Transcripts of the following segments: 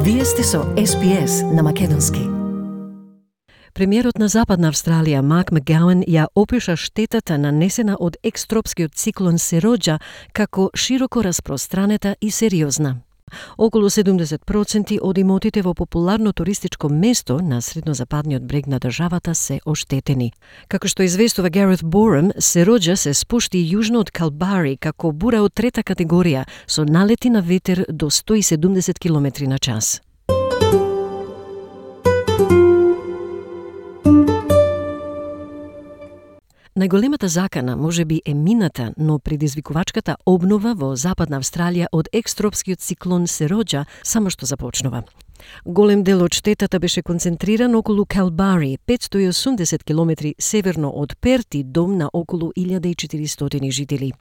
Вие сте со SPS на македонски. Премиерот на Западна Австралија Марк Макгоуан ја опиша штетата нанесена од екстропскиот циклон Сероџа како широко распространета и сериозна. Околу 70% од имотите во популарно туристичко место на среднозападниот брег на државата се оштетени. Како што известува Гарет Борем, Сероџа се спушти јужно од Калбари како бура од трета категорија со налети на ветер до 170 км на час. Најголемата закана можеби е мината, но предизвикувачката обнова во Западна Австралија од екстропскиот циклон Сероџа само што започнува. Голем дел од штетата беше концентриран околу Калбари, 580 км северно од Перт и дом на околу 1400 жители.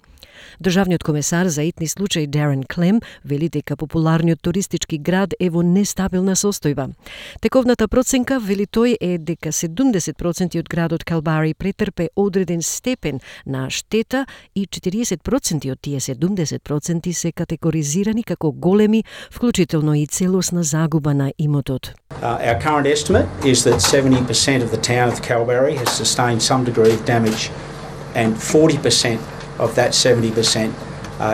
Државниот комесар за итни случаи Дарен Клем вели дека популарниот туристички град е во нестабилна состојба. Тековната проценка, вели тој, е дека 70% од градот Калбари претрпе одреден степен на штета и 40% од тие 70% се категоризирани како големи, вклучително и целосна загуба на имотот. Our current estimate is that 70% of the town of Kalbarri has sustained some degree of damage, and 40% of that 70%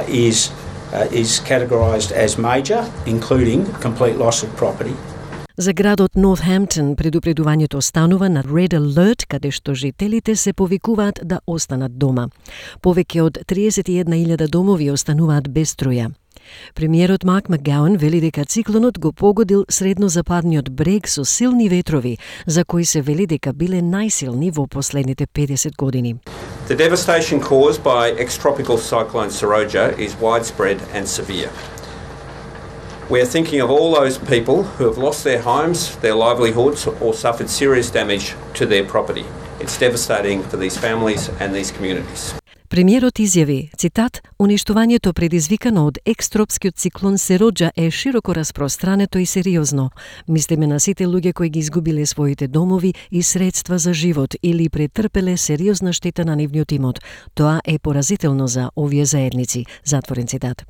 is categorised as major, including complete loss of property. За градот Нортхемптон предупредувањето останува на Red Alert, каде што жителите се повикуваат да останат дома. Повеќе од 31,000 домови остануваат без струја. Премиерот Марк Макгоуан вели дека циклонот го погодил среднозападниот брег со силни ветрови, за кои се вели дека биле најсилни во последните 50 години. The devastation caused by ex-tropical cyclone Seroja is widespread and severe. We are thinking of all those people who have lost their homes, their livelihoods, or suffered serious damage to their property. It's devastating for these families and these communities. Премиерот изјави, цитат, уништувањето предизвикано од екстропскиот циклон Сероџа е широко распространето и сериозно. Мислиме на сите луѓе кои ги изгубиле своите домови и средства за живот или претрпеле сериозна штета на нивниот имот. Тоа е поразително за овие заедници, затворен цитат.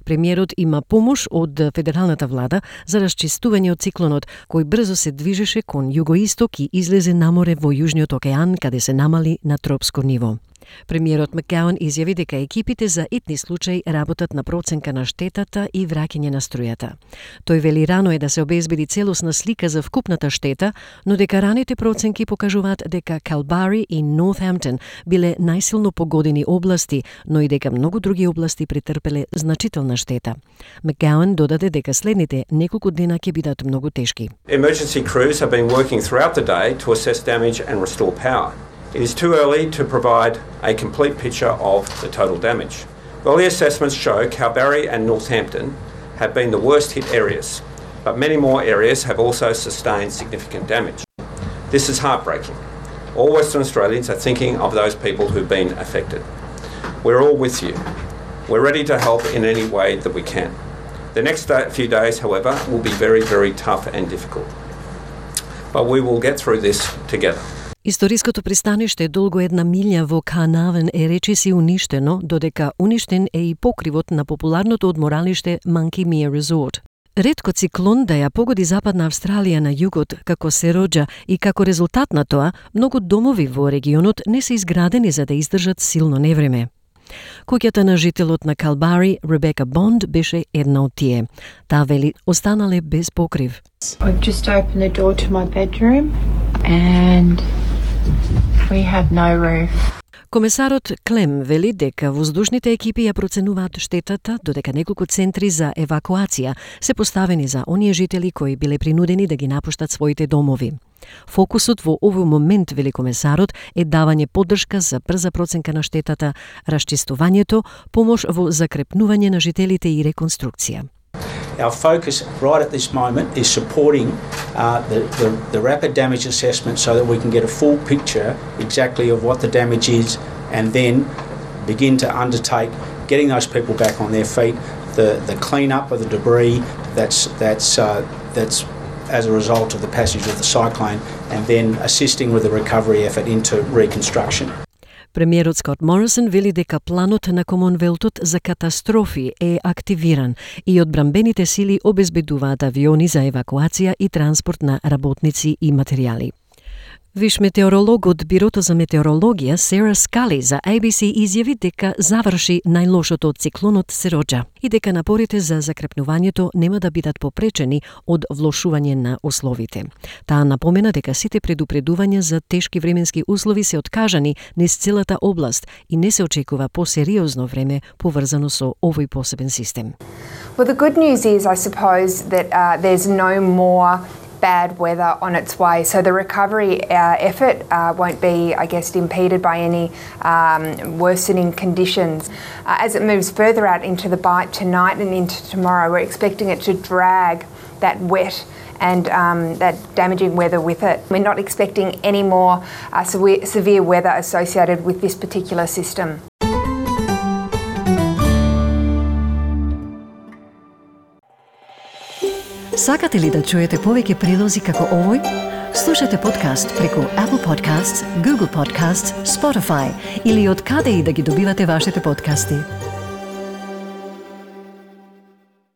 Премиерот има помош од федералната влада за расчистување од циклонот, кој брзо се движеше кон југоисток и излезе на море во Јужниот океан, каде се намали на тропско ниво. Премиерот Макгоуан изјави дека екипите за итни случаи работат на проценка на штетата и враќање на струјата. Тој вели рано е да се обезбеди целосна слика за вкупната штета, но дека раните проценки покажуваат дека Калбари и Нортхемптон биле најсилно погодени области, но и дека многу други области претрпеле значителна штета. Макгоуан додаде дека следните неколку дена ќе бидат многу тешки. Emergency crews have been working throughout the day to assess damage and restore power. It is too early to provide a complete picture of the total damage. Early assessments show Kalbarri and Northampton have been the worst hit areas, but many more areas have also sustained significant damage. This is heartbreaking. All Western Australians are thinking of those people who've been affected. We're all with you. We're ready to help in any way that we can. The next few days, however, will be very, very tough and difficult. But we will get through this together. Историското пристаниште долго 1 милја во Carnarvon е речиси уништено, додека уништен е и покривот на популарното одморалиште Monkey Mia Resort. Ретко циклон да ја погоди Западна Австралија на југот како Сероџа и како резултат на тоа, многу домови во регионот не се изградени за да издржат силно невреме. Куќата на жителот на Калбари, Ребека Бонд, беше една од тие. Таа вели останале без покрив. I just opened the door to my bedroom and we have no roof. Комесарот Клем вели дека воздушните екипи ја проценуваат штетата, додека неколку центри за евакуација се поставени за оние жители кои биле принудени да ги напуштат своите домови. Фокусот во овој момент, вели комесарот, е давање поддршка за брза проценка на штетата, расчистувањето, помош во закрепнување на жителите и реконструкција. Our focus right at this moment is supporting the rapid damage assessment so that we can get a full picture exactly of what the damage is and then begin to undertake getting those people back on their feet, the clean up of the debris that's as a result of the passage of the cyclone, and then assisting with the recovery effort into reconstruction. Премиерот Скот Морисон вели дека планот на Комонвелтот за катастрофи е активиран и одбранбените сили обезбедуваат авиони за евакуација и транспорт на работници и материјали. Виш метеоролог од Бирото за метеорологија Сара Скали за ABC изјави дека заврши најлошото од циклонот Сероџа и дека напорите за закрепнувањето нема да бидат попречени од влошување на условите. Таа напомена дека сите предупредувања за тешки временски услови се откажани низ целата област и не се очекува посериозно време поврзано со овој посебен систем. Well, the good news is, I suppose, that there's no more bad weather on its way. So the recovery effort won't be, I guess, impeded by any worsening conditions. As it moves further out into the Bight tonight and into tomorrow, we're expecting it to drag that wet and that damaging weather with it. We're not expecting any more severe weather associated with this particular system. Сакате ли да чуете повеќе прилози како овој? Слушате подкаст преку Apple Podcasts, Google Podcasts, Spotify или од каде и да ги добивате вашите подкасти.